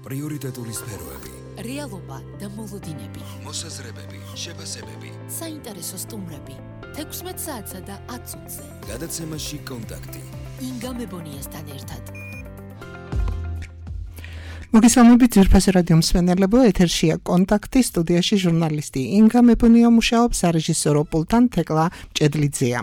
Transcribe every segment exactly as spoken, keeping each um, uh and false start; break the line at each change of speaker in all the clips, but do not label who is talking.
პრიორიტეტული სფეროები,
რეალობა და მოლოდინები,
მოსაზრებები, შეფასებები,
საინტერესო სტუმრები, თექვსმეტ საათსა და ათ წუთზე.
გადაცემაში კონტაქტი.
ინგა მებონიასთან ერთად.
მოგესალმებით ძვირფასი რადიო მსმენელებო, ეთერშია კონტაქტი, სტუდიაში ჟურნალისტი ინგა მებონია მუშაობს, სარეჟისორო პულტთან თეკლა მჭედლიძეა.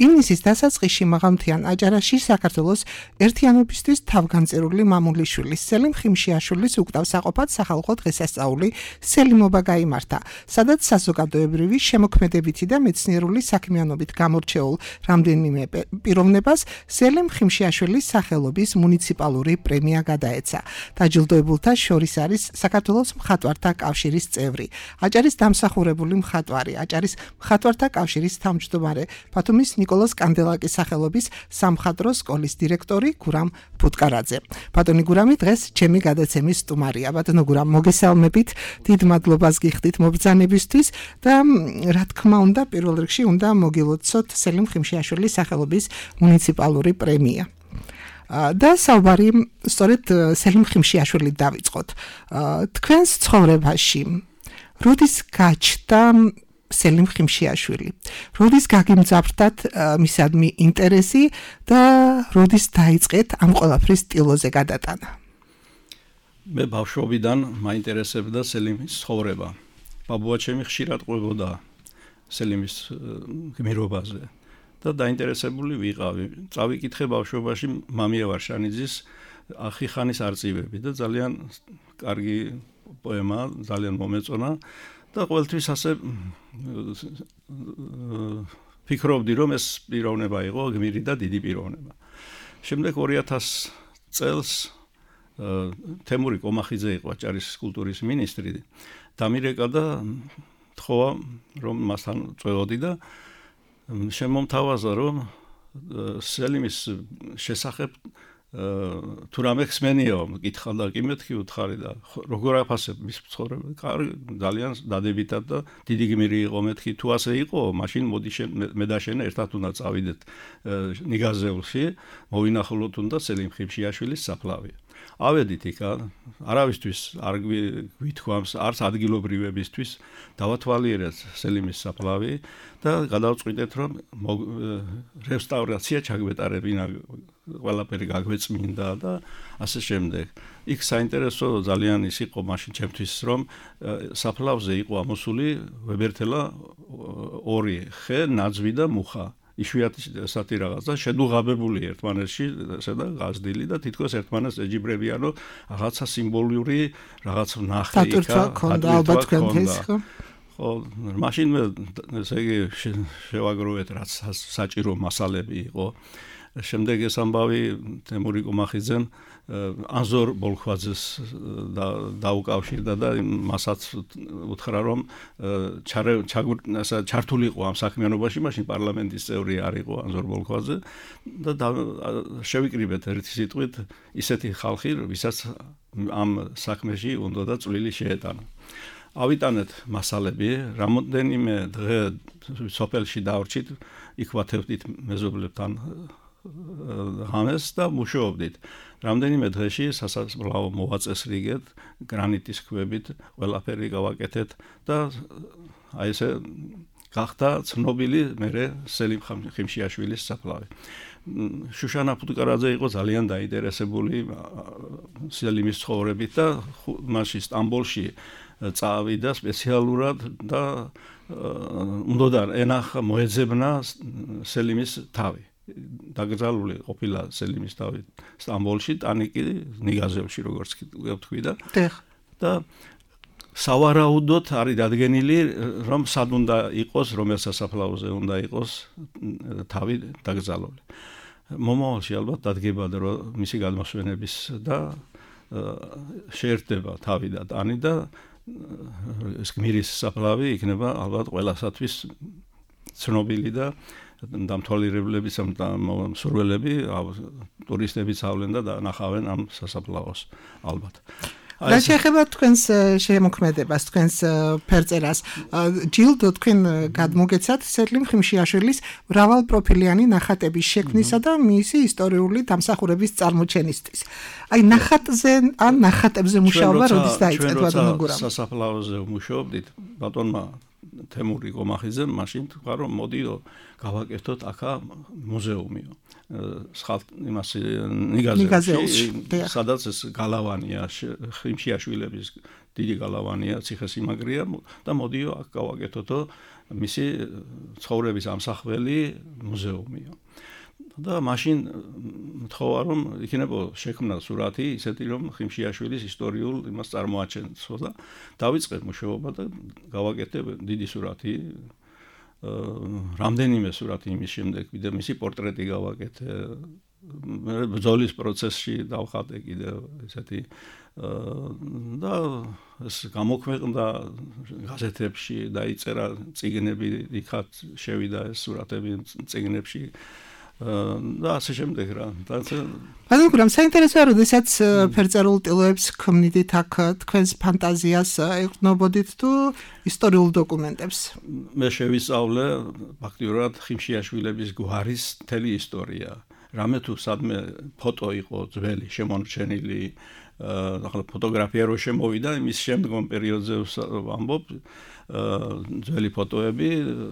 ივნისის დასაწყისში მაღალმთიან აჭარაში საქართველოს ერთიანობისთვის თავგანწირული მამულიშვილის სელიმ ხიმშიაშვილის უკტავსაყოფად სახალხო დღესასწაული სელიმობა გაიმართა, სადაც საზოგადოებრივი შემოქმედებითი და მეცნიერული საქმიანობით გამორჩეულ რამდენიმე პიროვნებას სელიმ ხიმშიაშვილის სახელობის მუნიციპალური პრემია გადაეცა. დაჯილდოებულთა შორის არის საქართველოს მხატვართა კავშირის წევრი, აჭარის დამსახურებული მხატვარი, აჭარის მხატვართა კავშირის თავმჯდომარე, ბათუმის ნიკოლოზ კანდელაკის სახელობის სამხატვრო სკოლის დირექტორი გურამ ფუტკარაძე. ბატონი გურამი დღეს ჩემი გადაცემის სტუმარია. ბატონო გურამ, მოგესალმებით, დიდ მადლობას გიხდით მობრძანებისთვის და რა თქმა უნდა, პირველ რიგში უნდა მოგილოცოთ სელიმ ხიმშიაშვილის სახელობის მუნიციპალური პრემია. და საუბარი სწორედ სელიმ ხიმშიაშვილით დავიწყოთ. თქვენს ცხოვრებაში როდის გაჩნდა სელიმ ხიმშიაშვილი? როდის გაგიმძაფრდათ მისადმი ინტერესი და როდის დაიწყეთ ამ ყველაფრის ტილოზე გადატანა?
მე ბავშვობიდან მაინტერესებდა სელიმის ცხოვრება. ბაბუა ჩემი ხშირად ყვებოდა სელიმის გმირობაზე. და დაინტერესებული ვიყავი. წავიკითხე ბავშვობაში მამია ვარშანიძის ახიხანის არწივები და ძალიან კარგი პოემა, ძალიან მომეწონა და ყოველთვის ასე ფიქრობდი, რომ ეს პიროვნება იყო გმირი და დიდი პიროვნება. შემდეგ ორი ათას წელს თემური კომახიძე იყო აჭარის კულტურის მინისტრი, დამირეკა და თხოვა, რომ მასთან წვევოდი და შემომთავაზა, რომ სელიმის შესახებ თუ რამე ხსმენიო, მკითხა და კი მეთქი უთხარი და როგორ აფასებ მის ცხოვრება? ძალიან დადებითად და დიდი გმირი იყო, მეთქი თუ ასე იყო, მაშინ მოდი მე და შენ ერთად უნდა წავიდეთ ნიგაზეულში, მოვინახულოთ უნდა სელიმ ხიმშიაშვილის საფლავი. ავედით იქა, არავისთვის არ გვითქვამს, არც ადგილობრივებისთვის დავათვალიერეთ სელიმის საფლავი და გადავწყვიტეთ, რომ რესტავრაცია ჩაგვეტარებინა, ყველაფერი გაგვეწმინდა და ასე შემდეგ. იქ საინტერესო ძალიან ის იყო მაშინ ჩემთვის, რომ საფლავზე იყო ამოსული ვებერთელა ორი ხე, ნაძვი და მუხა. იშვიათი სათი რაღაც და შედუღაბებული ერთმანეთში ესედა გაზდილი და თითქოს ერთმანეთს ეჯიბრებიანო რაღაცა სიმბოლური რაღაც ნახე იქა ალბათ თქვენთვის ხო ხო მაშინ მე ესე იგი შევაგროვეთ რაც საჭირო მასალები იყო. შემდეგ ეს ამბავი თემური კომახიძემ ანზორ ბოლქვაძეს დაუკავშირდა და მასაც უთხრა, რომ ჩართულიყო ამ საქმიანობაში, მაშინ პარლამენტის წევრი არ იყო ანზორ ბოლქვაძე და შევიკრიბეთ ერთი სიტყვით ისეთი ხალხი, ვისაც ამ საქმეში უნდა და წვლილი შეეტანა. ავიტანეთ მასალები, რამოდენიმე დღე სოფელში დავრჩით, იქ ვათევდით მეზობლებთან ღამეს და მუშაობდით. რამდენიმე დღეში სასაფლაო მოვაწესრიგეთ, გრანიტის ქვებით, ყველაფერი გავაკეთეთ და აი ესე გახდა ცნობილი მერე სელიმ ხიმშიაშვილის საფლავი. შუშანა ფუტკარაძე იყო ძალიან დაინტერესებული სელიმის ცხოვრებით და მაშინ სტამბოლში წავიდა სპეციალურად და უნდა ენახა მოეძებნა სელიმის თავი. დაკრძალული ყოფილა სელიმის თავი სტამბოლში, ტანიკი ნიგაზევში, როგორც ვთქვი და და სავარაუდოდ არის დადგენილი, რომ სად უნდა იყოს, რომელ სასაფლაოზე უნდა იყოს თავი დაკრძალული. მომავალში ალბათ დადგება რომ მისი გადმოსვენების და შეერთდება თავი და ტანი და ეს გმირის საფლავი იქნება ალბათ ყველასათვის ცნობილი და დამთვალიერებლები, მსურველები, ტურისტებიც ავლენ და ნახავენ ამ სასაფლაოს ალბათ.
რა შეეხება თქვენს შემოქმედებას, თქვენს ფერწერას, ჯილდო თქვენ გადმოგეცათ სელიმ ხიმშიაშვილის მრავალპროფილიანი ნახატების შექმნისა და მისი ისტორიული დამსახურების წარმოჩენისთვის. აი ნახატზე ან ნახატებზე მუშაობა როდის დაიწყეთ ბატონო გურამ?
ჩვენ სასაფლაოზე ვმუშაობდით, ბატონმა თემური გომახიძემ მაშინ თქვა რომ მოდიო გავაკეთოთ აქა მუზეუმიო. სხალ იმას ნიგაზეში, სადაც ეს გალავანია, ხიმშიაშვილების დიდი გალავანია, ციხესიმაგრეა და მოდიო აქ გავაკეთოთო მისი ცხოვრების ამსახველი მუზეუმიო. და მაშინ მთხოვა რომ იქნებო შექმნა სურათი ისეთი რომ ხიმშიაშვილის ისტორიულ იმას წარმოაჩენცო და დავიწყე მუშაობა და გავაკეთე დიდი სურათი რამდენიმე სურათი იმის შემდეგ კიდე მისი პორტრეტი გავაკეთე ბრძოლის პროცესში დავხატე კიდე ესეთი და ეს გამოქვეყნდა გაზეთებში დაიწერა წიგნები იქაც შევიდა ეს სურათები წიგნებში და ასე შემდეგ რა.
ბატონო გურამ, საინტერესოა, როდესაც ფერწერულ ტილოებს ქმნიდით აქ თქვენს ფანტაზიას ეყრდნობოდით თუ ისტორიულ დოკუმენტებს?
მე შევისწავლე ფაქტიურად ხიმშიაშვილების გვარის მთელი ისტორია. რამე თუ სადმე ფოტო იყო ძველი შემორჩენილი, ახლა ფოტოგრაფია რო შემოვიდა, იმის შემდგომ პერიოდზე ვამბობ ძველი ფოტოები,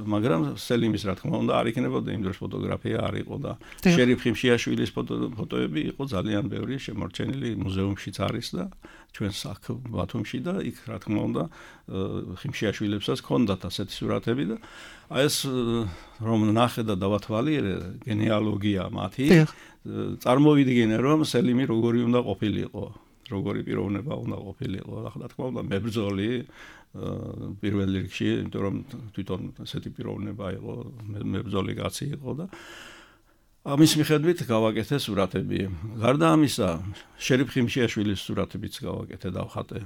მაგრამ სელიმის რა თქმა უნდა არ იქნებოდა იმ დროს ფოტოგრაფია არ იყო და შერიფ ხიმშიაშვილის ფოტოები იყო ძალიან ბევრი შემორჩენილი მუზეუმშიც არის და ჩვენს აქ ბათუმში და იქ რა თქმა უნდა ხიმშიაშვილებსაც ჰქონდათ ასეთი სურათები და აი ეს რომ ნახე და დავათვალიერე გენეალოგია მათი წარმოვიდგინე რომ სელიმი როგორი უნდა ყოფილიყო, როგორი პიროვნება უნდა ყოფილიყო, რა თქმა უნდა მებრძოლი პირველ რიგში, იმიტომ რომ თვითონ ასეთი პიროვნება იყო, მებრძოლი კაცი იყო და ამის მიხედვით გავაკეთე სურათები. გარდა ამისა, შერიფ ხიმშიაშვილის სურათებიც გავაკეთე დავხატე.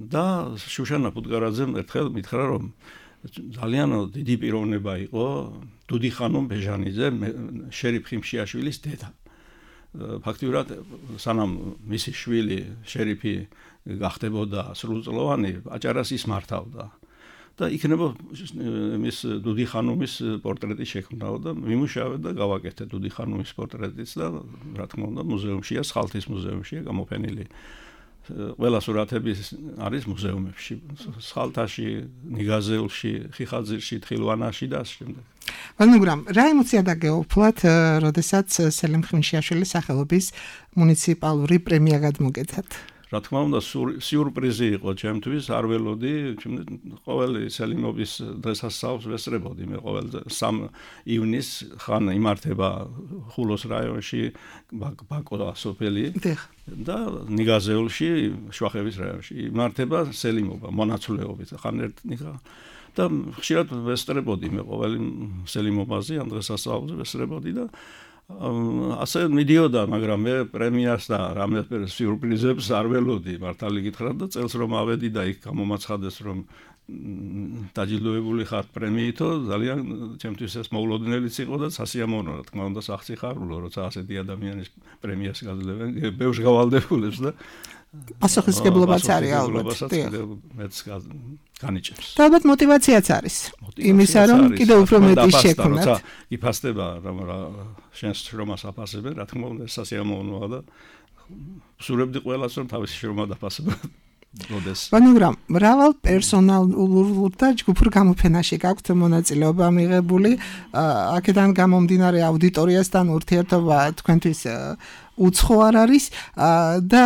და შუშანა პუტკარაძემ ერთხელ მითხრა რომ ძალიან დიდი პიროვნება იყო დუდი ხანუმ ბეჟანიძე, შერიფ ხიმშიაშვილის დედა. ფაქტიურად სანამ მისი შვილი შერიფი გახდებოდა სრულწლოვანი, აჭარას ის მართავდა. და იქნება მის დუდი ხანუმის პორტრეტი შექმნაო და მიმუშავე და გავაკეთე დუდი ხანუმის პორტრეტიც და რა თქმა უნდა მუზეუმშია, სხალთის მუზეუმშია გამოფენილი. ყველა სურათები არის მუზეუმებში, სხალთაში, ნიგაზეულში, ხიხაძირში, თხილვანაში და ასე შემდეგ.
ბატონო გურამ, რა ემოცია დაგეუფლათ, როდესაც სელიმ ხიმშიაშვილის სახელობის მუნიციპალური პრემია გადმოგეცათ?
რა თქმა უნდა სიურპრიზი იყო ჩემთვის, არ ველოდი, ყოველი სელიმობის დღესასწაულს ვესწრებოდი, მე ყოველ სამ ივნისს ხან იმართება ხულოს რაიონში ბაკო სოფელი და ნიგაზეულში შვახევის რაიონში იმართება სელიმობა მონაცვლეობით, ხან ერთ ნიგა და ხშირად ვესწრებოდი მე ყოველი სელიმობაზე ამ დღესასწაულზე ვესწრებოდი და ასე მიდიოდა, მაგრამ მე პრემიას და რამდენიმე სიურპრიზებს არ ველოდი, მართალი გითხრათ და წელს რომ ავედი და იქ გამომაცხადეს რომ დაჯილდოებული ხარ პრემიითო, ძალიან ჩემთვის ეს მოულოდნელიც იყო და სასიამოვნო, რა თქმა უნდა, სახსიხარულო, როცა ასეთი ადამიანის პრემიას გაძლევენ, ბევრს გავალდებულებს და
პასუხისმგებლობაც არის ალბათ.
მეც განიჭებს.
და ალბათ მოტივაციაც არის. იმისა რომ კიდევ უფრო მეტი შექმნათ.
როცა იფასდება რომ შენს შრომას აფასებენ, რა თქმა უნდა სასიამოვნოა და ვსურებდი ყველას რომ თავისი შრომა დაფასებათ.
ბატონო გურამ, მრავალ პერსონალურ და ჯგუფურ გამოფენაში გაქვთ მონაწილეობა მიღებული, აქედან გამომდინარე აუდიტორიასთან ურთიერთობა თქვენთვის უცხო არ არის და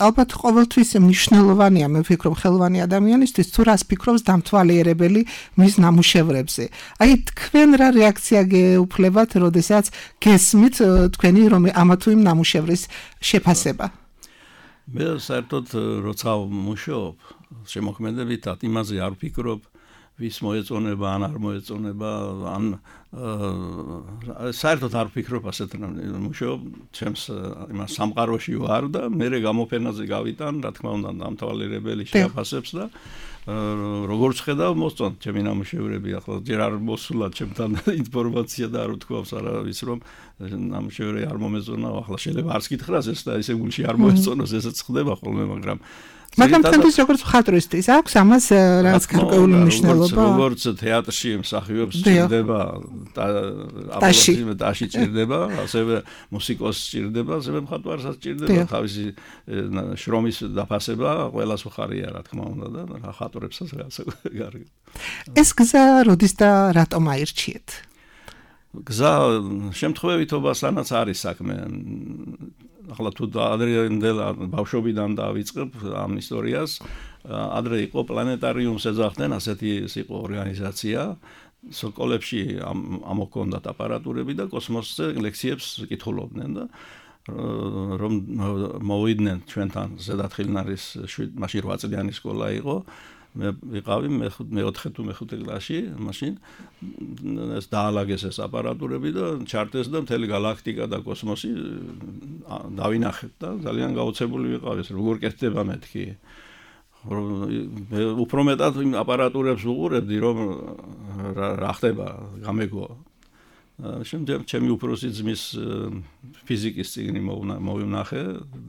ალბათ ყოველთვის მნიშვნელოვანია, მე ვფიქრობ, ხელოვანი ადამიანისთვის თუ რას ფიქრობს დამთვალიერებელი მის ნამუშევრებზე. აი თქვენ რა რეაქცია გეუფლებათ, როდესაც გესმით თქვენი რომ ამა თუ იმ ნამუშევრის შეფასება?
მე საერთოდ როცა ვმუშაობ შემოქმედებითად იმაზე არ ვფიქრობ, ვის მოეწონება ან არ მოეწონება ან საერთოდ არ ვფიქრობ ასეთ მუშაობ ჩემს იმას სამყაროში ვარ და მე გამოფენაზე გავიტან რა თქმა უნდა დამთვალიერებელი შეაფასებს და როგორც ხედავ მოსწონთ ჩემი ნამუშევრები ახლა ჯერ არ მოსულა ჩემთან ინფორმაცია და არ ვთქვავს არავის რომ ნამუშევრები არ მომეწონა ახლა შეიძლება არც გითხრას ეს და ესე გულში არ მოეწონოს ესეც ხდება ხოლმე მაგრამ
მაგრამ თანდis როგორც მხატვრისტის აქვს ამას რაღაც გარკვეული მნიშვნელობა
როგორც თეატრში მსახიობს ჭირდება აპოლოგიზმი დაში ჭირდება ასევე მუსიკოსს ჭირდება ასევე მხატვარსაც ჭირდება თავისი შრომის დაფასება ყველას უხარია რა თქმა უნდა და მხატვრებსაც რაღაცა გარკვეული
ეს გზა როდის და რატომ აირჩიეთ
გზა შემთხვევითობასთანაც არის საქმე ახლა თუ ადრეინდელ ბავშვობიდან დავიწყებ ამ ისტორიას ადრე იყო პლანეტარიუმს ეძახდნენ ასეთი იყო ორგანიზაცია სოკოლებში ამოქონდათ აპარატურები და კოსმოსზე ლექციებს კითხულობდნენ და რომ მოვიდნენ ჩვენთან ზედათხილნარის მაშინ რვა წლიანი სკოლა იყო მე ვიყავი მეოთხე თუ მეხუთე კლასში მაშინ ეს დაალაგეს ეს აპარატურები და ჩარტეს და მთელი galaktika და კოსმოსი დავინახეთ და ძალიან გაოცებული ვიყავი ეს როგორ კეთდება მეთქი უფრო მეტად იმ აპარატურებს ვუყურებდი რომ რა ხდება გამეგო შემდეგ ჩემი უფროსი ძმის ფიზიკის წიგნი მოვინახე,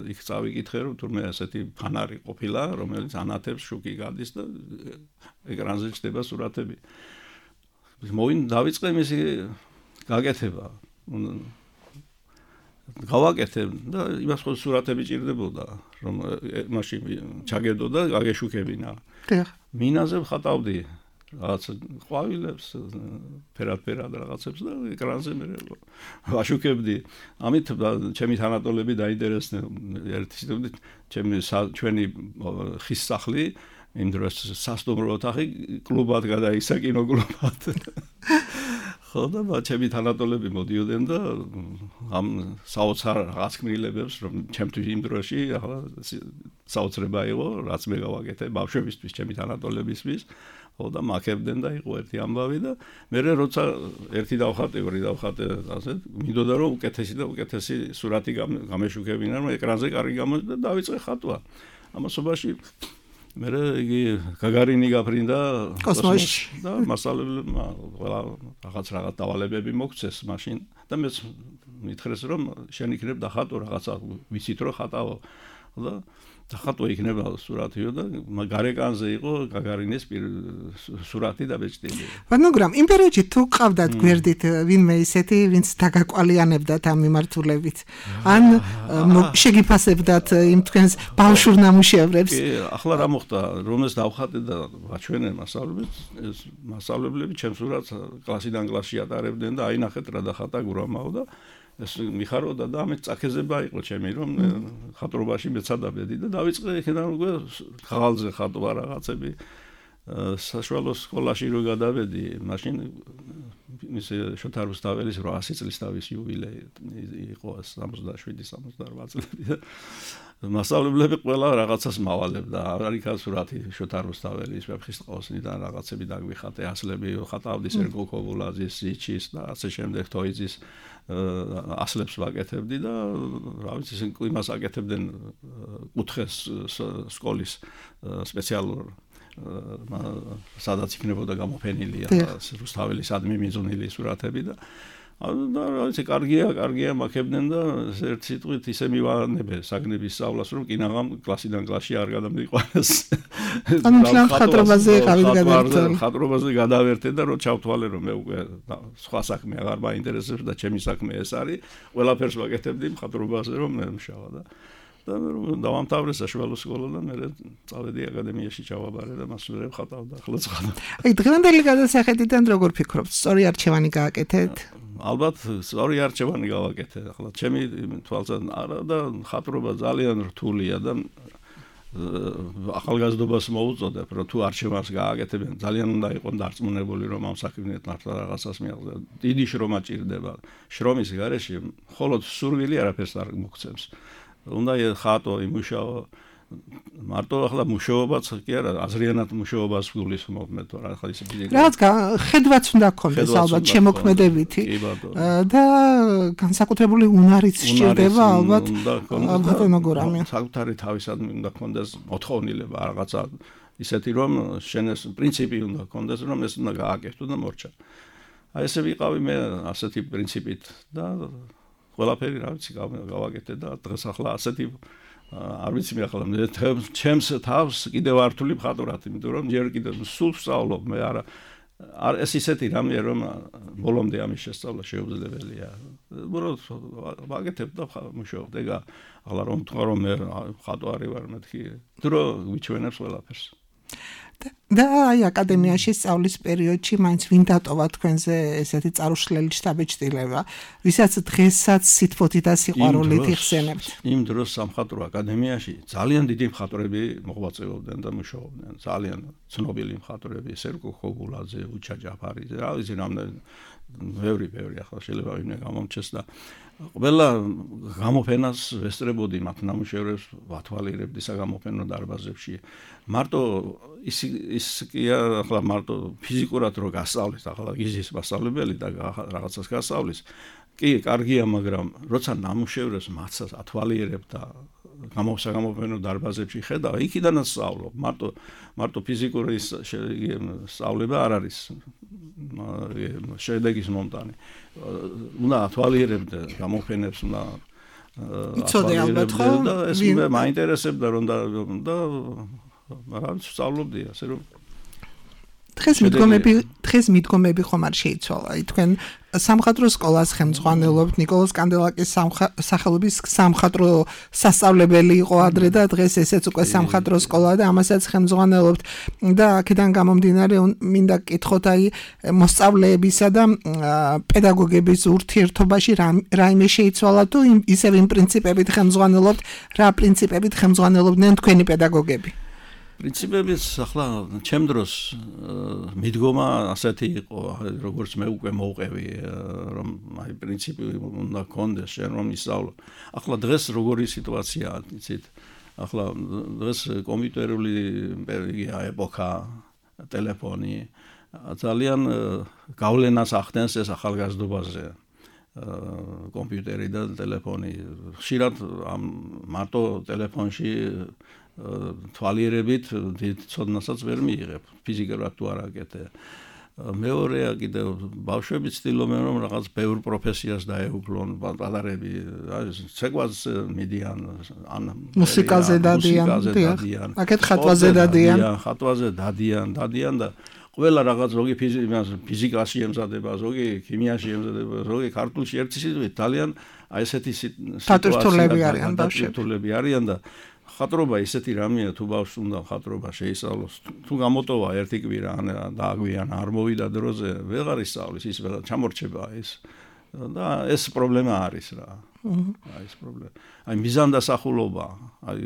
იქ წავიკითხე, რომ თურმე ასეთი ფანარი ყოფილა, რომელიც ანათებს შუქი გადის და ეკრანზე ჩდება სურათები. მოვინ დავიწყე მისი გაკეთება. გავაკეთე და იმას ხო სურათები ჭირდებოდა, რომ მაშინ ჩაგედო და გაგეშუქებინა. მინაზე ვხატავდი რაღაც ყვავილებს, ფერად-ფერად რაღაცებს და ეკრანზე მე ვაშუქებდი. ამით ჩემი თანატოლები დაინტერესდნენ. ერთი ჩემი ჩვენი ხის სახლი იმ დროს სასტუმრო ოთახი კლუბად გადაიქცა, კინოკლუბად. ხო და ჩემი თანატოლები მოდიოდნენ და ამ საოცარ რაღაც ქმნილებებს რომ ჩემთვის იმ დროში ახლა საოცრება იყო, რაც მე გავაკეთე ბავშვებისთვის, ჩემი თანატოლებისთვის. ხო და მაქებდნენ და იყო ერთი ამბავი და მე როცა ერთი დავხატე, ორი დავხატე, ასე მინდოდა რომ უკეთესი და უკეთესი სურათი გამეშუქებინა, რომ ეკრანზე კარგი გამოჩნდა და დავიწყე ხატვა. ამასობაში მე იგი გაგარინი გაფრინდა
კოსმოსში
და მასალებმა ყველა რაღაც რაღაც დავალებები მოგცეს მაშინ და მე მითხრეს რომ შენ იქნებ დახატო რაღაცა ვიცით რომ ხატავ და დახატო იქნება სურათიო და გარეკანზე იყო გაგარინის სურათი დაბეჭდილი.
მაგრამ იმ პერიოდში თუ ყავდათ გვერდით ვინმე ისეთი ვინც დაგაკვალიანებდათ ამ მიმართულებით ან შეგიფასებდათ იმ თქვენს ბავშვურ ნამუშევრებს?
ახლა რა მოხდა რომ ეს დავხატე და ვაჩვენე მასწავლებლებს ეს მასწავლებლები ჩემს სურათს კლასიდან კლასში ატარებდნენ და აინახეთ რა დახატა გურამაო და ეს მიხაროდა და ამით წაქეზება იყო ჩემი რომ ხატრობაში მეცადაბედი და დავიწყე იქიდან უკვე ხალხზე ხატვა რაღაცები საშუალო სკოლაში რო გადავედი მაშინ ის შოთა რუსთაველის რვაასი წლის თავის იუბილეი იყო სამოცდაშვიდი სამოცდარვა წლები და მასწავლებლები ყველა რაღაცას მავალებდა არ იქა სურათი შოთა რუსთაველის ვეფხისტყაოსნიდან რაღაცები დაგვიხატე ასლები ხატავდი სერგო ქობულაძის სიჩის და ასე შემდეგ თოიძის ასლებს ვაკეთებდი და რა ვიცი ისინი იმას აკეთებდნენ კუთხეს სკოლის სპეციალურ სადაც იქნებოდა გამოფენილი რუსთაველის ადმი მიზუნილი სურათები და და რა ვიცი კარგია კარგია მაქებდნენ და ერთ სიტყვით ისე მივანებე საგნების სწავლას რომ კინაღამ კლასიდან კლასში არ გადამიყვანეს
ანუ ხატრობაზე გავიგადავერტე
ხატრობაზე გადავერთე და რო ჩავთვალე რომ მე უკვე სხვა საქმე აღარ მაინტერესებს და ჩემი საქმე ეს არის ყველაფერს ვაკეთებდი ხატრობაზე რომ მე მშავა და და დავამთავრე საშუალო სკოლა და მე წავედი აკადემიაში ჩავაბარე და მასურებ ხატავდა ახლა ცხადა.
აი დღევანდელი გადასახედიდან როგორ ფიქრობთ? სწორი არჩევანი გააკეთეთ?
ალბათ სწორი არჩევანი გავაკეთე. ახლა ჩემი თვალსაჩინო არა და ხატრობა ძალიან რთულია და ახალგაზრდობას მოუწოდებ რომ თუ არჩევანს გააკეთებენ ძალიან უნდა იყოს დარწმუნებული რომ ამ საქმით მართლა რაღაცას მიაღწია. დიდი შრომა ჭირდება. შრომის გარეშე მხოლოდ სურვილი არაფერს არ მოგცემს. უნდა ხატო, იმუშაო მარტო ახლა მუშაობაც კი არა, აზრიანად მუშაობას გულისხმობ მე თორე ახლა ის ფიზიკა.
რაც ხედვაც უნდა გქონდეს ალბათ შემოქმედებითი და განსაკუთრებული უნარიც სჭირდება ალბათ ბატონო გურამი.
საკუთარი თავისადმი უნდა გქონდეს მოთხოვნილება რაღაცა ისეთი რომ შენეს პრინციპი უნდა გქონდეს რომ ეს უნდა გააკეთო და მორჩა. აი ესე ვიყავი მე ასეთი პრინციპით და ყველაფერი რა ვიცი გავაკეთე და დღეს ახლა ასეთი არ ვიცი მე ახლა მე ჩემს თავს კიდევ ართული მხატვრად, იმიტომ რომ ჯერ კიდევ სულ ვსწავლობ მე არა ეს ისეთი რამეა რომ ბოლომდე ამის შესწავლა შეუძლებელია. უბრალოდ ვაკეთებ და მუშაობ და ახლა რომ თქვა რომ მე მხატვარი ვარ მეთქი დრო ვიჩვენებს ყველაფერს.
და აი აკადემიაში სწავლის პერიოდში მაინც ვინ დატოვა თქვენზე ესეთი წარუშლელი შთაბეჭდილება, ვისაც დღესაც სითბოთი და სიყვარულით იხსენებთ.
იმ დროს სამხატვრო აკადემიაში ძალიან დიდი მხატვრები მოღვაწეობდნენ და მუშაობდნენ, ძალიან ცნობილი მხატვრები, სერგო ხოგულაძე, უჩა ჯაფარიძე, რა ვიცი რამდენი ბევრი ბევრი ახლა შეიძლება ვინმე გამომჩეს და ყველა გამოფენას ვესწრებოდი მათ ნამუშევრებს ვათვალიერებდი საგამოფენო დარბაზებში. მარტო ის ის კი ახლა მარტო ფიზიკურად რო გასწავლეს ახლა გიზის მასწავლებელი და რაღაცას გასწავლის კი კარგია, მაგრამ როცა ნამუშევრებს მათსაც ათვალიერებ და გამოსაგამოფენო დარბაზებში ხედავ, იქიდანაც სწავლობ. მარტო მარტო ფიზიკური სწავლება არ არის შედეგის მომტანი. უნდა ათვალიერებდე გამოფენებს, უნდა
იცოდე ალბათ ხო?
და ეს მე მაინტერესებდა რომ და რა ვიცი სწავლობდი ასე რომ
დღეს მიდგომები დღეს მიდგომები ხომ არ შეიცვალა. აი თქვენ სამხატვრო სკოლას ხელმძღვანელობთ, ნიკოლოზ კანდელაკის სახელობის სამხატვრო სასწავლებელი იყო ადრე და დღეს ესეც უკვე სამხატვრო სკოლა და ამასაც ხელმძღვანელობთ და აქედან გამომდინარე მინდა გკითხოთ აი მოსწავლეებისა და პედაგოგების ურთიერთობაში რაიმე შეიცვალა თუ ისევ იმ პრინციპებით ხელმძღვანელობთ, რა პრინციპებით ხელმძღვანელობდნენ თქვენი პედაგოგები?
პრინციპებიც ახლა ჩემ დროს მიდგომა ასეთი იყო, როგორც მე უკვე მოვყევი, რომ აი პრინციპი უნდა გქონდეს შენ რომ ისწავლო. ახლა დღეს როგორი სიტუაციაა, იცით? ახლა დღეს კომპიუტერული ეპოქა, ტელეფონი ძალიან გავლენას ახდენს ეს ახალგაზრდობაზე. კომპიუტერი და ტელეფონი. ხშირად ამ მარტო ტელეფონში თვალიერებით დიდ ცოდნასაც ვერ მიიღებ, ფიზიკურად თუ არ აკეთე. მეორეა კიდევ ბავშვები ცდილობენ რომ რაღაც ბევრ პროფესიას დაეუფლონ, პატარები, ცეკვაზე მიდიან, ან
მუსიკაზე დადიან, აქეთ ხატვაზე დადიან,
ხატვაზე დადიან, დადიან და ყველა რაღაც ზოგი ფიზიკაში ემზადება, ზოგი ქიმიაში ემზადება, ზოგი ქართულში ერთი სიტყვით ძალიან აი ესეთი
სიტუაციები არიან
ბავშვები არიან და ხატრობა ისეთი რამეა თუ ბავშვს უნდა ხატრობა შეისწავლოს თუ გამოტოვა ერთი კვირა ან დააგვიან არ მოვიდა დროზე ვეღარ ისწავლის ის ვეღარ ჩამორჩება ის და ეს პრობლემა არის რა აი ეს პრობლემა აი მიზანდასახულობა აი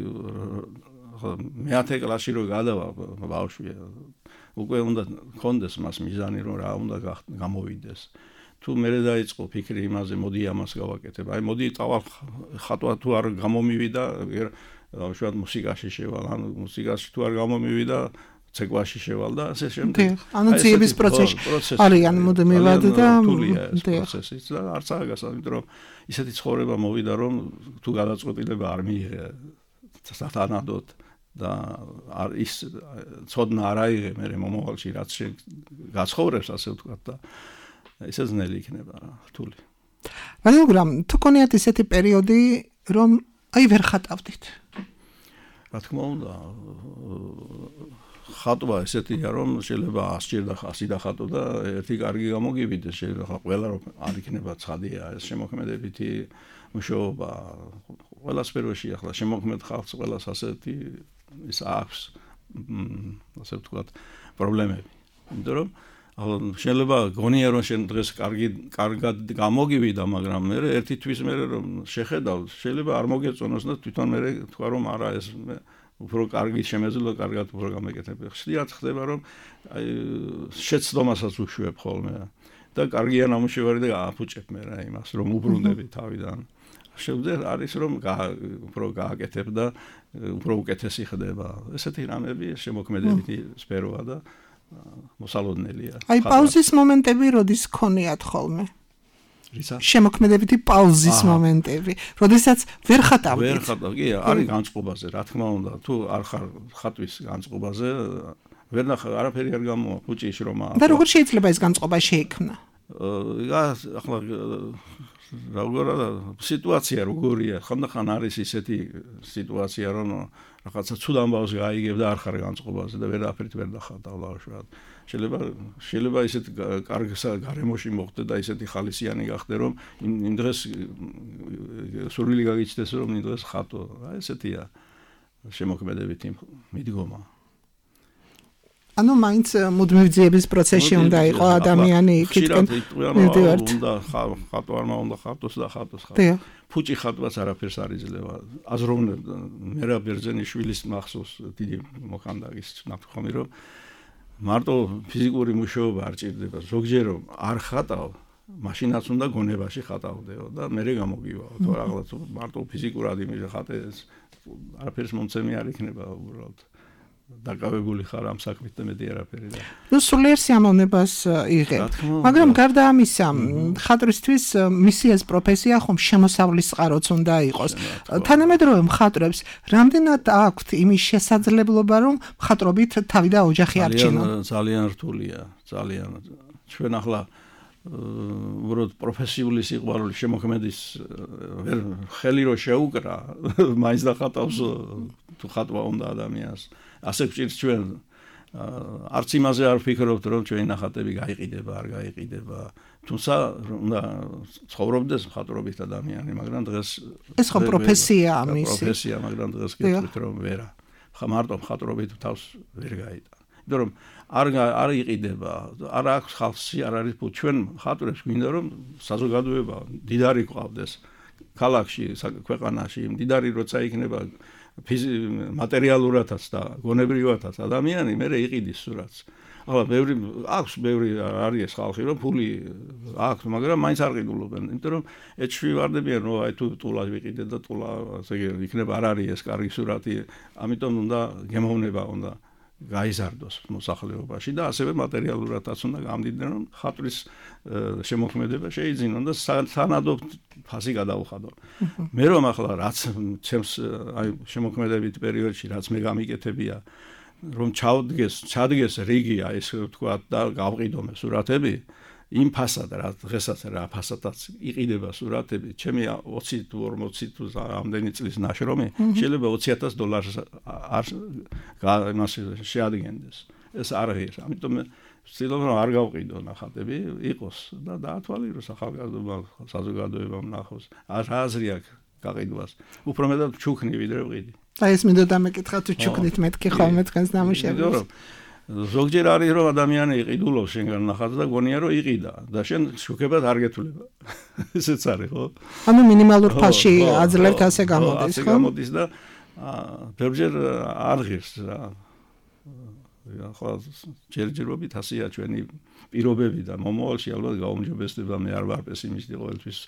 მეათე კლასში რო გადავა ბავშვი უკვე უნდა გქონდეს მას მიზანი რომ რა უნდა გამოვიდეს თუ მე დაიწყო ფიქრი იმაზე მოდი ამას გავაკეთებ აი მოდი წავალ ხატვა თუ არ გამომივიდა უშუალოდ მუსიკაში შევალ, ანუ მუსიკაში თუ არ გამომივიდა, ცეკვაში შევალ და ასე შემდეგ.
ანუ ძიების პროცესი არიან მუდმივად და
პროცესიც და არც აღგას, იმიტომ რომ ისეთი ცხოვრება მოვიდა, რომ თუ გადაწყვეტილება არ მიიღე სათანადოდ და ის ცოდნა არ აიღე მე მომავალში რაც გაცხოვრებს ასე ვთქვათ და ესე ძნელი იქნება რთული.
მაგრამ თუ გქონიათ ისეთი პერიოდი, რომ აი ვერ ხატავდით.
რა თქმა უნდა, ხატვა ესეთია, რომ შეიძლება ასჭირდა ხასი და ხატო და ერთი კარგი გამოგივიდეს, შეიძლება ყველა რომ არ იქნება ცხადია, ეს შემოქმედებითი მუშაობა ყველა სფეროში ახლა შემოქმედ ხალხს ყველას ასეთი ის აქვს, ასე ვთქვათ, პრობლემები. იმიტომ რომ შეიძლება გონია რომ შენ დღეს კარგი კარგად გამოგივიდა, მაგრამ მე ერთი თვის მე რომ შეხედავ, შეიძლება არ მოგეწონოს და თვითონ მე თქვა რომ არა ეს უფრო კარგი შემეძლო, კარგად უფრო გამეკეთებ. ხშირად ხდება რომ აი შეცდომასაც უშვებ ხოლმე და კარგია ნამუშევარი და ააფუჭებ მე რა იმას რომ უბრუნდები თავიდან. შემდეგ არის რომ უფრო გააკეთებ და უფრო უკეთესი ხდება. ესეთი რამები შემოქმედებითი სფეროა და მოსალოდნელია.
აი პაუზის მომენტები როდის გქონიათ ხოლმე?
რისა?
შემოქმედებითი პაუზის მომენტები, როდესაც ვერ ხატავდით.
ვერ ხატავ, კი, არის განწყობაზე, რა თქმა უნდა, თუ არ ხარ ხატვის განწყობაზე, ვერ ნახა, არაფერი არ გამოვა, ფუჭი შრომა.
და როგორ შეიძლება ეს განწყობა შეიქმნა?
ახლა როგორია სიტუაცია როგორია, ხანდახან არის ისეთი სიტუაცია, რომ რაღაცა ცუდ ამბავს გაიგებ და არ ხარ განწყობაზე და ვერაფერით ვერ დახატავ ლავშად. შეიძლება შეიძლება ისეთ კარგ გარემოში მოხდე და ისეთი ხალისიანი გახდე, რომ იმ დღეს სურვილი გაგიჩნდეს, რომ იმ დღეს ხატო. აი ესეთია შემოქმედებითი მიდგომა.
ანუ მაინც მუდმივ-ძიების პროცესში უნდა იყო ადამიანი იქითკენ მივდივართ.
უნდა ხატო არ უნდა ხატოს და ხატოს ხატო. ფუჭი ხატვაც არაფერს არ იძლევა. აზროვნებ მერაბ ბერძენიშვილის მახსოვს დიდი მოხანდაგის ნათქვამი, რომ მარტო ფიზიკური მუშაობა არ ჭირდება. ზოგჯერ არ ხატავ, მაშინაც უნდა გონებაში ხატავდეო და მერე გამოგივაო. თუ რაღაც მარტო ფიზიკურად იმის ხატე არაფერს მომცემი არ იქნება უბრალოდ. დაკავებული ხარ ამ საქმით და მეტი არაფერი და
ნუ სულიერ სიამოვნებას იღებ. მაგრამ გარდა ამისა, მხატვრისთვის მისი ეს პროფესია ხომ შემოსავლის წყაროც უნდა იყოს. თანამედროვე მხატვრებს რამდენად აქვთ იმის შესაძლებლობა, რომ მხატვრობით თავი და ოჯახი არჩინონ?
ძალიან რთულია, ძალიან. ჩვენ ახლა უბრალოდ პროფესიული სიყვარული შემოქმედის ვერ ხელი რო შეუკრა, მაინც დახატავს თუ ხატვა უნდა ადამიანს. ასე გვჭირს ჩვენ არც იმაზე არ ვფიქრობთ, რომ ჩვენი ნახატები გაიყიდება, არ გაიყიდება. თუმცა უნდა ცხოვრობდეს მხატვრობით ადამიანი, მაგრამ დღეს
ეს ხო პროფესიაა მისი.
პროფესია, მაგრამ დღეს გეტყვით რომ ვერა. ხა მარტო მხატვრობით თავს ვერ გაიტანა. იმიტომ რომ არ არ იყიდება, არ აქვს ხალხი, არ არის ფული. ჩვენ მხატვრებს გვინდა რომ საზოგადოება დიდარი გვყავდეს ქალაქში, ქვეყანაში, დიდარი როცა იქნება მატერიალურადაც და გონებრივადაც ადამიანი მერე იყიდის სურათს. ახლა ბევრი აქვს ბევრი არის ხალხი რომ ფული აქვს, მაგრამ მაინც არ ყიდულობენ, იმიტომ რომ ეჩვი ვარდებიან, რომ აი თუ ტულა ვიყიდე და ტულა ასე იქნება არ არის ეს კარგი სურათი, ამიტომ უნდა გემოვნება უნდა გაიზარდოს მოსახლეობაში და ასევე მატერიალურადაც უნდა გამდიდნენ, რომ ხატვის შემოქმედება შეიძინონ და სანადო ფასი გადაუხადონ. მე რომ ახლა რაც ჩემს აი შემოქმედებით პერიოდში რაც მე გამიკეთებია, რომ ჩავდგეს, ჩადგეს რიგი აი ეს თქვა და გავყიდო მე სურათები, იმ ფასად რა დღესაც რა ფასადაც იყიდება სურათები, ჩემი ოცი თუ ორმოცი თუ ამდენი წლის ნაშრომი შეიძლება ოცი ათას დოლარს არ იმას შეადგენდეს. ეს არ არის, ამიტომ ვცდილობ რომ არ გავყიდო ნახატები, იყოს და დაათვალიეროს ახალგაზრდობა, საზოგადოებამ ნახოს. რა აზრი აქვს გაყიდვას? უფრო მეტად ჩუქნი ვიდრე ვყიდი.
და ეს მინდოდა მეკითხა თუ ჩუქნით მეთქი ხოლმე თქვენს ნამუშევრებს.
ზოგჯერ არის რომ ადამიანი იყიდულობს შენგან ნახატს და გონია რომ იყიდა და შენ შუქებად არ გეთვლება. ესეც არის ხო?
ანუ მინიმალურ ფასში აძლევთ ასე გამოდის ხო?
ასე გამოდის და ბევრჯერ არ ღირს რა. ახლა ჯერჯერობით ასეა ჩვენი პირობები და მომავალში ალბათ გაუმჯობესდება, მე არ ვარ პესიმისტი ყოველთვის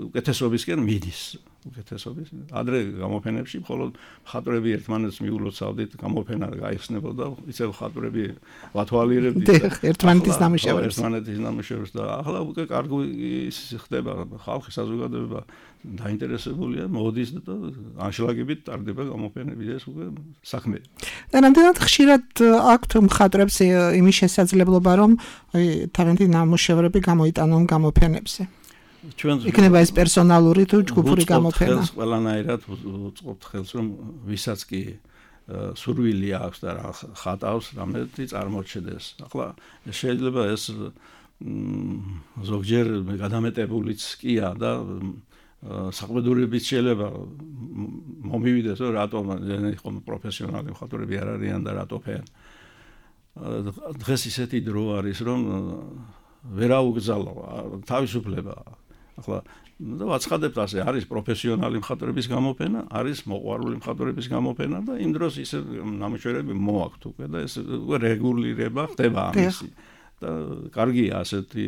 უკეთესობისკენ მიდის. უკეთესობის ადრე გამოფენებში მხოლოდ მხატვრები ერთმანეთს მიულოცავდით, გამოფენა გაიხსნებოდა, ისევ მხატვრები ვათვალიერებდით
ერთმანეთის ნამუშევრებს.
ერთმანეთის ნამუშევრებს და ახლა უკვე კარგი ხდება, ხალხი საზოგადოება დაინტერესებულია, მოდის და ანშლაგებით ტარდება გამოფენები და ეს უკვე საქმე.
და რამდენად ხშირად აქვთ მხატვრებს იმის შესაძლებლობა, რომ თავიანთი ნამუშევრები გამოიტანონ გამოფენებზე?
ჩვენ
იქნება ეს პერსონალური თუ ჯგუფური გამოფენა.
ხელს ყველანაირად უწყობთ ხელს, რომ ვისაც კი სურვილი აქვს და ხატავს, რამეთი წარმოჩენდეს. ახლა შეიძლება ეს ზოგჯერ გადამეტებულიც კია და საყბედურებით შეიძლება მომივიდეს, რომ რატომ ხო პროფესიონალი მხატვრები არ არიან და რატო ფენ. დღეს ისეთი დრო არის, რომ ვერაუგზავნო თავისუფლება. ახლა და ვაცხადებთ ასე, არის პროფესიონალი მხატვრების გამოფენა, არის მოყვარული მხატვრების გამოფენა და იმ დროს ისე ნამუშევრები მოაქვთ უკვე და ეს უკვე რეგულირება ხდება ამისი. და კარგია ასეთი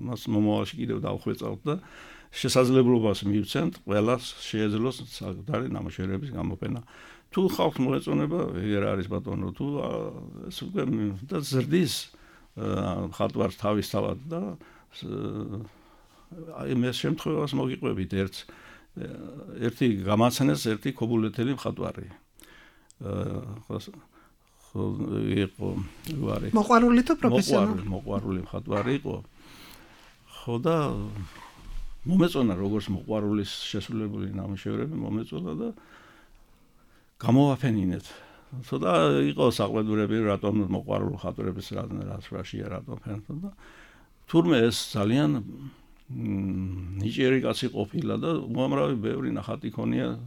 მას მომავალში კიდევ დავხვეწავთ და შესაძლებლობას მივცემთ ყველას შეეძლოს საკუთარი ნამუშევრების გამოფენა. თუ ხალხს მოეწონება, ეგერ არის ბატონო, თუ ეს უკვე და ზრდის ხატვარს თავისთავად და აი მე შემთხვევას მოგიყვებით ერთ ერთი გამაცნეს ერთი ქობულეთელი მხატვარი. ხო იყო ვარი.
მოყვარული თუ პროფესიონალი?
მოყვარული მხატვარი იყო. ხო და მომეწონა როგორც მოყვარულის შესრულებული ნამუშევრები მომეწონა და გამოვაფენინეთ. ცოტა იყო საყვედურები რატომ მოყვარულ ხატვრების რაშია რატომ ფენთო და თურმე ეს ძალიან ნიჭიერი კაცი ყოფილა და უამრავი ბევრი ნახატი ქონია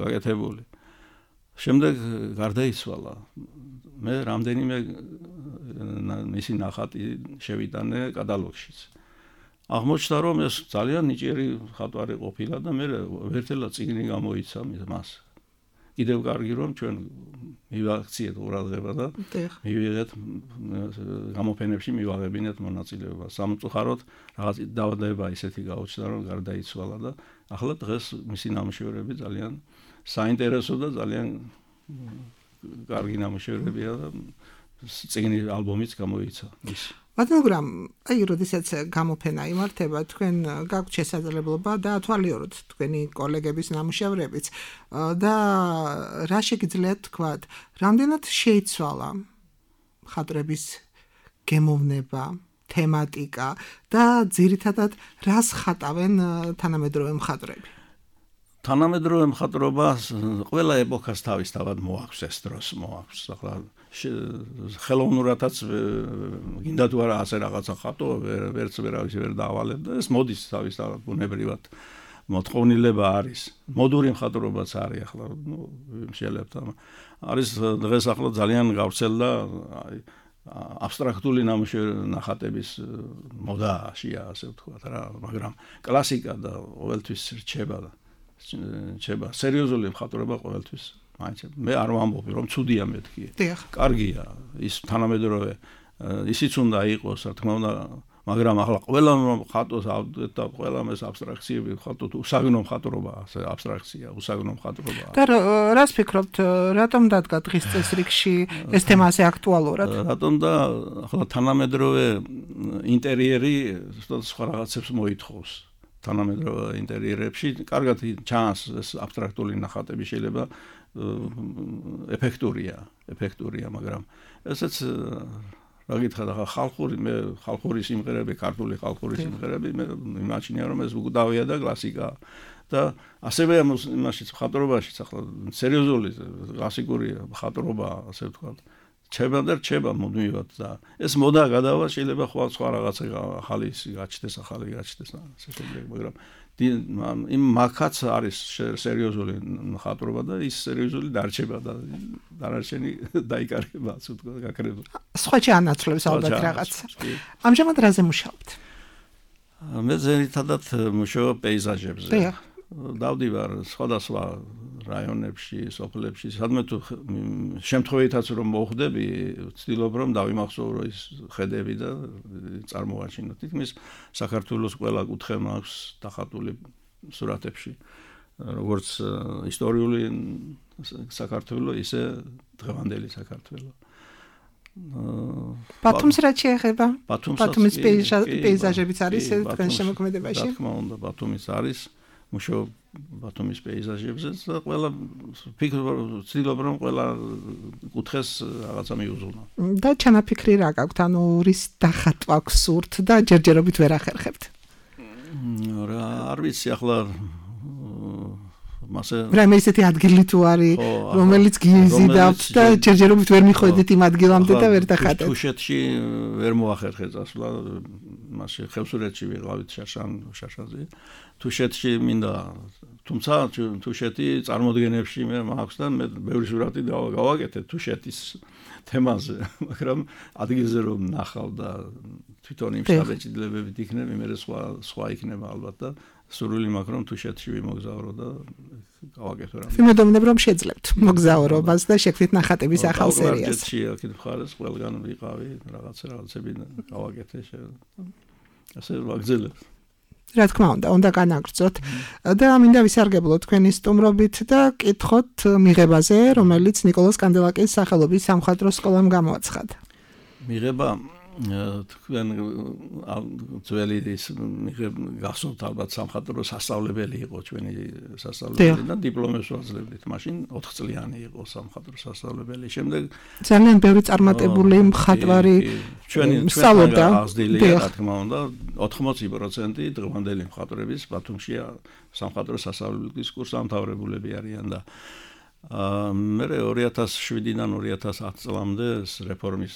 გაკეთებული. შემდეგ გარდაიცვალა. მე რამდენიმე მისი ნახატი შევიტანე კატალოგშიც. აღმოჩნდა რომ ეს ძალიან ნიჭიერი ხატვარი ყოფილა და მე ვერტელა წიგნი გამოიცა მას. კიდევ კარგი რომ ჩვენ მივაქციეთ ყურადღება და მივიღეთ გამოფენებში მივაღებინეთ მონაწილეობა. სამწუხაროდ რაღაც დაავადება ისეთი გაუჩნდა რომ გარდაიცვალა და ახლა დღეს მისი ნამუშევრები ძალიან საინტერესო და ძალიან კარგი ნამუშევრებია და წიგნი ალბომიც გამოიცა ის.
მაგრამ აი როდესაც გამოფენა იმართება, თქვენ გაქვთ შესაძლებლობა დაათვალიეროთ თქვენი კოლეგების ნამუშევრებიც და რა შეგიძლიათ თქვათ, რამდენად შეიცვალა ხატვრების გემოვნება, თემატიკა და ძირითადად რას ხატავენ თანამედროვე მხატვრები?
თანამედროვე მხატვრობას ყველა ეპოქას თავისთავად მოაქვს ეს დროს მოაქვს. ახლა ხელოვნურადაც გინდა თუ არა ასე რაღაცა ხატო ვერც ვერავის ვერ დაავალებ და ეს მოდის თავისთავად ბუნებრივად მოთხოვნილება არის. მოდური მხატვრობაც არის ახლა შეიძლება არის დღეს ახლა ძალიან გავრცელდა აბსტრაქტული ნახატების მოდაშია ასე ვთქვათ რა, მაგრამ კლასიკა და ყოველთვის რჩება და რჩება სერიოზული მხატვრობა ყოველთვის. მე არ ვამბობ რომ ცუდია მეთქი. კარგია ის თანამედროვე ისიც უნდა იყოს რა თქმა უნდა, მაგრამ ახლა ყველა ხატოს და ყველა ეს აბსტრაქციები ხატოთ უსაგნო მხატვრობა, ასე აბსტრაქცია, უსაგნო მხატვრობა.
და რას ფიქრობთ, რატომ დადგა დღის წესრიგში ეს თემა ასე აქტუალურად?
რატომ და ახლა თანამედროვე ინტერიერი სხვა რაღაცებს მოითხოვს. თანამედროვე ინტერიერებში კარგად ჩანს ეს აბსტრაქტული ნახატები შეიძლება ეფექტურია, ეფექტურია, მაგრამ ესეც რა გითხრათ, ახლა ხალხური მე ხალხური სიმღერები, ქართული ხალხური სიმღერები მე იმაჩნია რომ ეს უკდავია და კლასიკა და ასევე იმაშიც მხატვრობაშიც ახლა სერიოზული კლასიკური მხატვრობა ასე ვთქვათ რჩება და რჩება მუდმივად და ეს მოდა გადავა შეიძლება სხვა სხვა რაღაცა ახალი გაჩნდეს, ახალი გაჩნდეს ასე შემდეგ, მაგრამ იმ მაგაც არის სერიოზული მხატვრობა და ის სერიოზული დარჩება და დანარჩენი დაიკარგება, ასე ვთქვათ, გაქრება.
სხვა ჩაანაცვლებს ალბათ რაღაც. ამჟამად რაზე მუშაობთ?
მე ძირითადად მუშაობ პეიზაჟებზე. დავდივარ სხვადასხვა რაიონებში, სოფლებში, სადმე თუ შემთხვევითაც რომ მოხვდები, ვცდილობ რომ დავიმახსოვრო ის ხედები და წარმოვაჩინო. თითქმის საქართველოს ყველა კუთხე მაქვს დახატული სურათებში, როგორც ისტორიული საქართველო, ისე დღევანდელი საქართველო.
ბათუმს რა შეეხება? ბათუმის პეიზაჟებიც არის თქვენ შემოქმედებაში?
რა თქმა უნდა, ბათუმის არის. მუშაობ ბათუმის პეიზაჟებზე და ყველა ფიქრობ ვცდილობ რომ ყველა კუთხეს რაღაცა მიუძღვნა.
და ჩანაფიქრი რა გაქვთ? ანუ რის დახატვა გსურთ და ჯერჯერობით ვერ ახერხებთ?
რა არ ვიცი ახლა მასე
რა მე ისეთი ადგილი თუ არის რომელიც გიზიდავთ და ჯერჯერობით ვერ მიხვედით იმ ადგილამდე და ვერ დახატეთ.
თუშეთში ვერ მოახერხე წასვლა, მასე ხევსურეთში ვიყავით შაშან შაშაზე. თუშეთში მინდა, თუმცა თუშეთი წარმოდგენებში მე მაქვს და მე ბევრი სურათი გავაკეთე თუშეთის თემაზე, მაგრამ ადგილზე რომ ნახავ და თვითონ იმ შთაბეჭდილებებით იქნები, მე სხვა სხვა იქნება ალბათ და სურვილი მაქვს რომ თუშეთში ვიმოგზავრო და გავაკეთო რამე.
ვიმედოვნებ რომ შეძლებთ მოგზაურობას და შექმნით ნახატების ახალ სერიას.
ბაგრატში აქეთ მხარეს ყველგან ვიყავი, რაღაცა რაღაცები გავაკეთე, ასე ვაგზელებ.
რა თქმა უნდა, უნდა განაგრძოთ და მინდა ვისარგებლოთ თქვენი სტუმრობით და კითხოთ მიღებაზე, რომელიც ნიკოლოზ კანდელაკის სახელობის სამხატვრო სკოლამ გამოაცხადა.
მიღება თქვენ ძველი ის გახსოვთ ალბათ სამხატვრო სასწავლებელი იყო ჩვენი სასწავლებელი და დიპლომებს ვაძლევდით. მაშინ ოთხ წლიანი იყო სამხატვრო სასწავლებელი. შემდეგ
ძალიან ბევრი წარმატებული მხატვარი
ჩვენი
სწავლობდა.
რა თქმა უნდა, ოთხმოცი პროცენტი დღევანდელი მხატვრების ბათუმშია სამხატვრო სასწავლებლის კურსდამთავრებულები არიან და მე ორი ათას შვიდიდან ორი ათას ათი წლამდე რეფორმის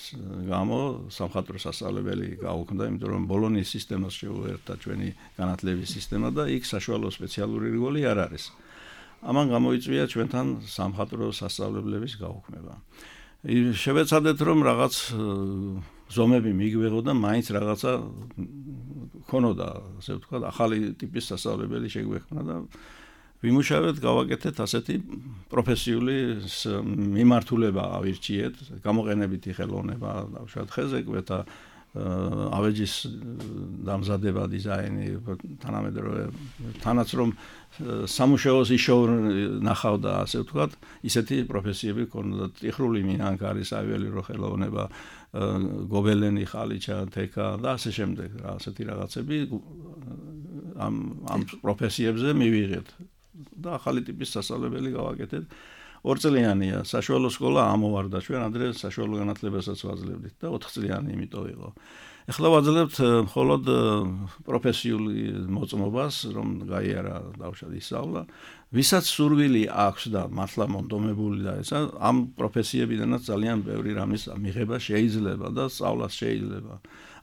გამო სამხატვრო სასწავლებელი გაუქმდა, იმიტომ რომ ბოლონიის სისტემას შეუერთდა ჩვენი განათლების სისტემა და იქ საშუალო სპეციალური რგოლი არ არის. ამან გამოიწვია ჩვენთან სამხატვრო სასწავლებლების გაუქმება. შევეცადეთ რომ რაღაც ზომები მიგვეღო და მაინც რაღაცა ქონოდა, ასე ვთქვათ, ახალი ტიპის სასწავლებელი შეგვექმნა და ვიმუშავეთ, გავაკეთეთ ასეთი პროფესიული მიმართულება ავირჩიეთ, გამოყენებითი ხელოვნება, დავუშვათ ხეზეკვეთა, ავეჯის დამზადება, დიზაინი, თანამედროვე, თანაც რომ სამუშაოს იშოვნახავდა, ასე ვთქვათ, ისეთი პროფესიები ქონდა, ტიხრული მინანქარი, საველირო ხელოვნება, გობელენი, ხალიჩა, თექა და ასე შემდეგ, ასეთი რაღაცები ამ ამ პროფესიებზე მივიღეთ. და ახალი ტიპის სასწავლებელი გავაკეთეთ. ორ წლიანია საშუალო სკოლა ამოვარდა, ჩვენ ადრე საშუალო განათლებასაც ვაძლევდით და ოთხ წლიანი იმიტომ იყო. ეხლა ვაძლევთ მხოლოდ პროფესიული მოწმობას, რომ გაიარა დავშად ისწავლა, ვისაც სურვილი აქვს და მართლა მონდომებული და ესა ამ პროფესიებიდანაც ძალიან ბევრი რამის მიღება შეიძლება და სწავლაც შეიძლება.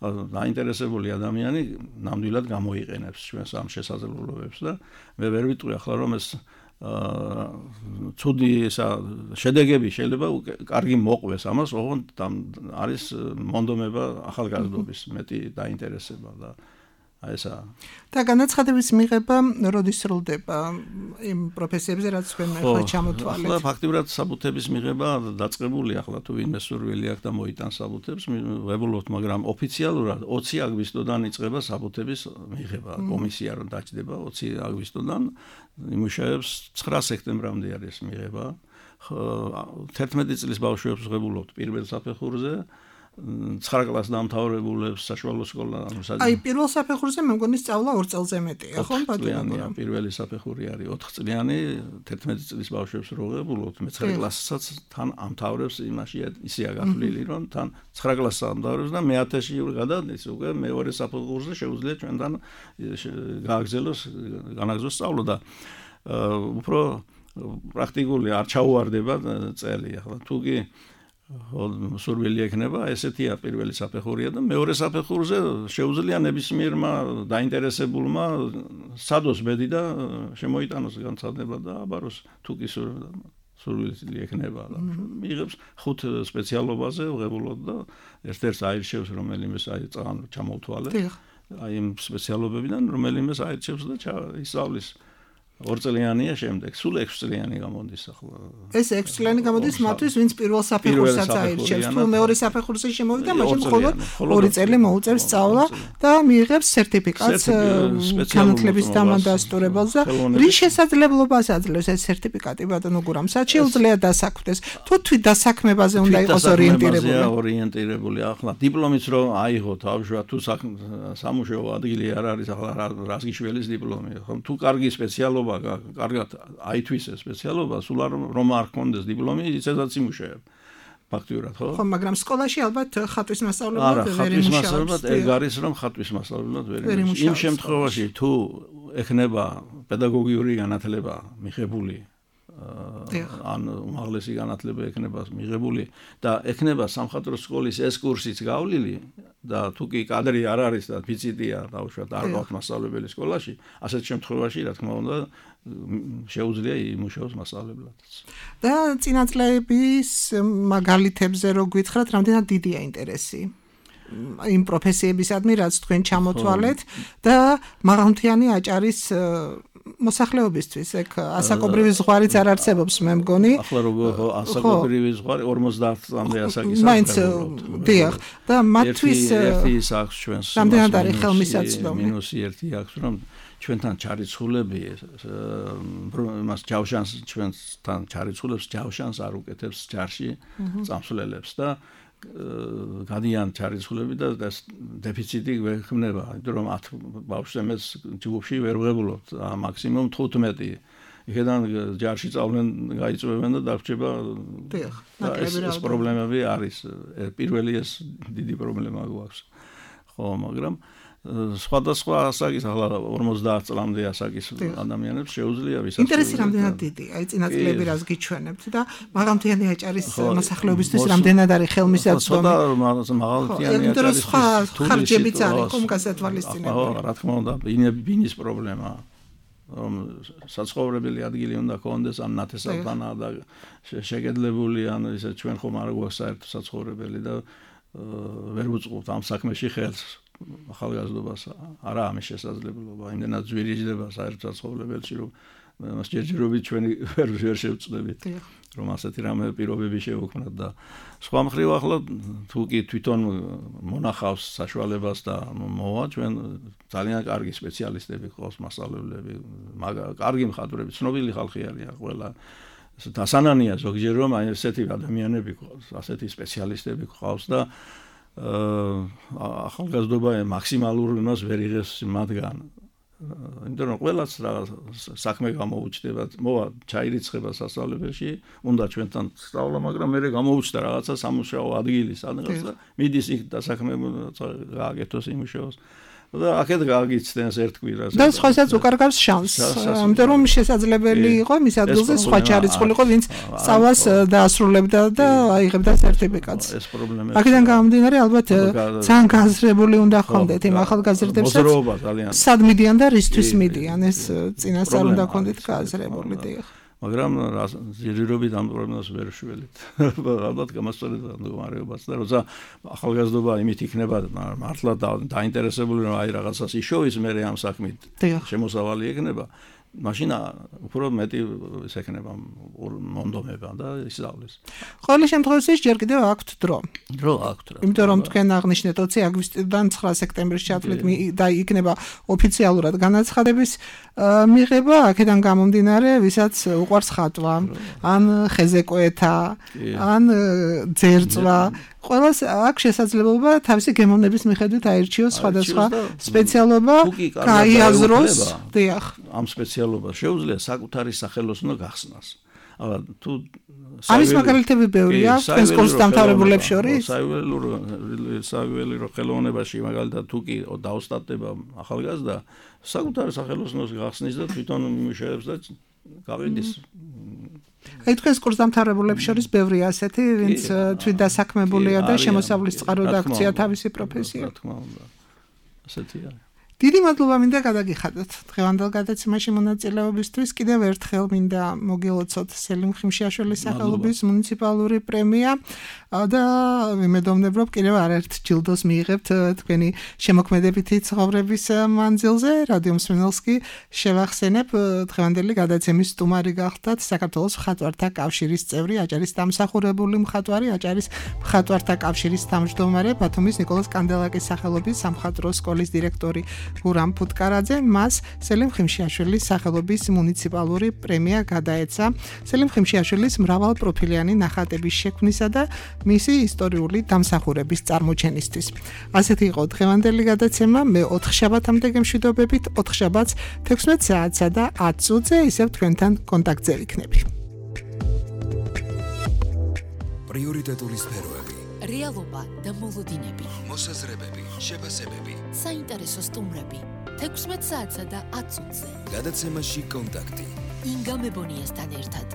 დაინტერესებული ადამიანი ნამდვილად გამოიყენებს ჩვენს ამ შესაძლებლობებს და მე ვერ ვიტყვი ახლა რომ ეს ცუდი ესა შედეგები შეიძლება კარგი მოყვეს ამას, ოღონდ არის მონდომება ახალგაზრდობის მეტი დაინტერესება და აი ესა.
და განაცხადების მიღება როდის სრულდება იმ პროფესიებზე, რაც თქვენ ახლა ჩამოთვალეთ?
ახლა ფაქტიურად საბუთების მიღება დაწყებული, ახლა თუ ვინმე სურვილი აქვს და მოიტანს საბუთებს, ვებულობთ, მაგრამ ოფიციალურად ოცი აგვისტოდან იწყება საბუთების მიღება. კომისია რომ დაჭდება ოცი აგვისტოდან, იმუშავებს ცხრა სექტემბრამდე არის მიღება. თერთმეტი წლის ბავშვებს ვებულობთ პირველ საფეხურზე. ცხრა კლასს დამთავრებულებს საშუალო სკოლა.
აი პირველ საფეხურზე მე მგონი სწავლა ორ წელზე მეტია, ხო
ბატონო? პირველი საფეხური არის ოთხ წლიანი, თერთმეტი წლის ბავშვებს როღებულობთ, მეცხრე კლასსაც თან ამთავრებს, იმაშია ისეა გათვლილი, რომ თან ცხრა კლასს ამთავრებს და მეათეში გადადის უკვე მეორე საფეხურზე შეუძლია ჩვენთან გააგრძელოს, განაგრძელოს სწავლა და უფრო პრაქტიკული არ ჩაუვარდება წელი. ახლა თუ კი სურვილი ექნება, ესეთია პირველი საფეხურია და მეორე საფეხურზე შეუძლია ნებისმიერმა დაინტერესებულმა სადოს ბედი და შემოიტანოს განცხადება და აბაროს თუ კი სურვილი ექნება და მიიღებს ხუთ სპეციალობაზე ვღებულობ და ერთ-ერთს აირჩევს რომელიმეს აი წან ჩამოვთვალეთ. აი იმ სპეციალობებიდან რომელიმეს აირჩევს და ისწავლის. ორ წლიანია შემდეგ, სულ ექვს წლიანი გამოდის ახლა.
ეს ექვს წლიანი გამოდის მათთვის, ვინც პირველ საფეხურსაც აირჩევს. თუ მეორე საფეხურზე შემოვიდა, მაშინ მხოლოდ ორი წელი მოუწევს სწავლა და მიიღებს სერტიფიკატს განათლების დამადასტურებელს და რის შესაძლებლობას აძლევს ეს სერტიფიკატი ბატონო გურამ? სად შეუძლია დასაქმდეს? თუ თვით დასაქმებაზე უნდა იყოს ორიენტირებული?
ორიენტირებული ახლა დიპლომიც რომ აიღო თავშუა თუ სამუშაო ადგილი არ არის ახლა რას გიშველის დიპლომი. თუ კარგი სპეციალობა კარგად აითვისეს სპეციალობა, სულ რომ არ ჰქონდეს დიპლომი, ისედაც იმუშავებ. ფაქტიურად, ხო?
ხო, მაგრამ სკოლაში ალბათ ხატვის მასწავლებლად ვერ იმუშავებს.
ხატვის მასწავლებლად ეგ არის, რომ ხატვის მასწავლებლად ვერ იმუშავებს. იმ შემთხვევაში თუ ექნება პედაგოგიური განათლება მიღებული, ან უმაღლესი განათლება ექნება მიღებული და ექნება სამხატვრო სკოლის ეს კურსიც გავლილი და თუ კი კადრი არ არის და ფიციტია, დავუშვათ, არ გვაქვს მასწავლებელი სკოლაში, ასეთ შემთხვევაში, რა თქმა უნდა, შეუძლია იმუშაოს მასწავლებელადაც.
და წინაწლების მაგალითებზე რო გითხრათ, რამდენად დიდია ინტერესი იმ პროფესიებისადმი, რაც თქვენ ჩამოთვალეთ და მაღალმთიანი აჭარის მოსახლეობისთვის ეგ ასაკობრივი ზღვარიც არ არსებობს მე მგონი.
ახლა როგორ ასაკობრივი ზღვარი ორმოცდაათ წლამდე ასაკის
მაინც დიახ და მათთვის
ერთი ის აქვს ჩვენს
რამდენად არის ხელმისაწვდომი
მინუსი ერთი აქვს რომ ჩვენთან ჩარიცხულები მას ჯავშანს ჩვენთან ჩარიცხულებს ჯავშანს არ უკეთებს ჯარში წამსვლელებს და გადიან ჩარიცხულები და დეფიციტი ვექმნება, იმიტომ რომ ათ ბავშვებს ჯგუფში ვერ ვღებულობთ, მაქსიმუმ თხუთმეტი. იქედან ჯარში წავლენ, გაიწვევენ და დარჩება.
დიახ,
ეს პრობლემები არის. პირველი ეს დიდი პრობლემა გვაქვს. ხო, მაგრამ სხვადასხვა ასაკის ახლა ორმოცდაათ წლამდე ასაკის ადამიანებს შეუძლია ვისაც
ინტერესი რამდენად დიდი, აი წინაწილები რას გიჩვენებთ და მაღალმთიანი აჭარის მოსახლეობისთვის რამდენად არის ხელმისაწვდომი.
ცოტა მაღალმთიანი
აჭარის ხარჯებიც არის ხომ გასათვალისწინებელი.
ხო, რა თქმა უნდა, ბინის პრობლემაა. რომ საცხოვრებელი ადგილი უნდა ქონდეს ან ნათესავთანა და შეგედლებული ან ისე ჩვენ ხომ არ გვაქვს საერთო საცხოვრებელი და ვერ ვუწყობთ ამ საქმეში ხელს. ახალგაზრდობას არა ამის შესაძლებლობა, იმდენად ძვირიჯდება საერთო საცხოვრებელში, რომ მას ჯერჯერობით ჩვენი ვერ ვერ შევწდებით, რომ ასეთი რამე პირობები შევქმნათ და სხვა მხრივ ახლა თუ კი თვითონ მონახავს საშუალებას და მოვა ჩვენ ძალიან კარგი სპეციალისტები ყავს მასწავლებლები, მაგრამ კარგი მხატვრები, ცნობილი ხალხი არიან ყველა დასანანია ზოგჯერ რომ აი ესეთი ადამიანები ყავს, ასეთი სპეციალისტები ყავს და ახალგაზრდობა მაქსიმალურ იმას ვერ იღებს მათგან. იმიტომ რომ ყველაც რა საქმე გამოუჩნდება, მოვა ჩაირიცხება სასწავლებელში, უნდა ჩვენთან სწავლა, მაგრამ მე გამოუჩნდა რაღაცა სამუშაო ადგილი სადღაც და მიდის იქ და საქმე გააკეთოს იმუშაოს. და აქეთ გააგიცდენს ერთ კვირას.
და სხვასაც უკარგავს შანსს. ამიტომ რომ შესაძლებელი იყო მის ადგილზე სხვა ჩარიცხულიყო, ვინც სწავლას დაასრულებდა და აიღებდა სერტიფიკატს.
ეს პრობლემა.
აქედან გამომდინარე, ალბათ ძალიან გაზრებული უნდა ხონდეთ იმ ახალგაზრდებსაც.
მოძრაობა ძალიან.
სად მიდიან და რისთვის მიდიან, ეს წინასწარ უნდა ხონდეთ გაზრებული, დიახ.
მაგრამ ჯერჯერობით ამ პრობლემას ვერ შველით. ალბათ გამასწორებდა მდგომარეობას და როცა ახალგაზრდობა იმით იქნება მართლა დაინტერესებული რომ აი რაღაცას იშოვის მე ამ საქმით შემოსავალი ექნება, მაშინ უფრო მეტი ეს ექნება მონდომება და ისწავლის.
ყოველ შემთხვევაში ჯერ კიდევ აქვთ დრო.
დრო აქვთ რა.
იმიტომ რომ თქვენ აღნიშნეთ ოცი აგვისტიდან ცხრა სექტემბრის ჩათვლით და იქნება ოფიციალურად განაცხადების მიღება, აქედან გამომდინარე, ვისაც უყვარს ხატვა, ან ხეზეკვეთა, ან ძერწვა, ყველას აქვს შესაძლებლობა თავისი გემოვნების მიხედვით აირჩიოს სხვადასხვა სპეციალობა, გაიაზროს, დიახ.
ამ სპეციალობას შეუძლია საკუთარი სახელოსნო გახსნას. აბა თუ
არის მაგალითები ბევრი აქვს თქვენს კურსს დამთავრებულებს შორის?
საიუველირო ხელოვნებაში მაგალითად თუ კი დაოსტატდება ახალგაზრდა, საკუთარი სახელოსნოს გახსნის და თვითონ იმუშავებს და გავიდის.
აი თქვენს კურსს დამთავრებულებს შორის ბევრია ასეთი, ვინც თვითდასაქმებულია და შემოსავლის წყაროდ აქცია თავისი პროფესია.
რა თქმა უნდა. ასეთია.
დიდი მადლობა მინდა გადაგიხადოთ დღევანდელ გადაცემაში მონაწილეობისთვის. კიდევ ერთხელ მინდა მოგილოცოთ სელიმ ხიმშიაშვილის სახელობის მუნიციპალური პრემია და ვიმედოვნებ რომ კიდევ არაერთ ჯილდოს მიიღებთ თქვენი შემოქმედებითი ცხოვრების მანძილზე. რადიო მსმენელს კი შევახსენებ დღევანდელი გადაცემის სტუმარი გახდათ საქართველოს მხატვართა კავშირის წევრი, აჭარის დამსახურებული მხატვარი, აჭარის მხატვართა კავშირის თავმჯდომარე, ბათუმის ნიკოლოზ კანდელაკის სახელობის სამხატვრო სკოლის დირექტორი გურამ ფუტკარაძე. მას სელიმ ხიმშიაშვილის სახელობის მუნიციპალური პრემია გადაეცა სელიმ ხიმშიაშვილის მრავალპროფილიანი ნახატების შექმნისა და მისი ისტორიული დამსახურების წარმოჩენისთვის. ასეთი იყო დღევანდელი გადაცემა. მე ოთხშაბათამდე გემშვიდობებით, ოთხშაბათს თექვსმეტ საათსა და ათ წუთზე ისევ თქვენთან კონტაქტზე ვიქნები.
პრიორიტეტული სფეროები,
რეალობა და მოლოდინები,
მოსაზრებები, შეფასებები,
საინტერესო სტუმრები, თექვსმეტ საათსა და ათ წუთზე.
გადაცემაში კონტაქტი.
ინგა მებონიასთან ერთად.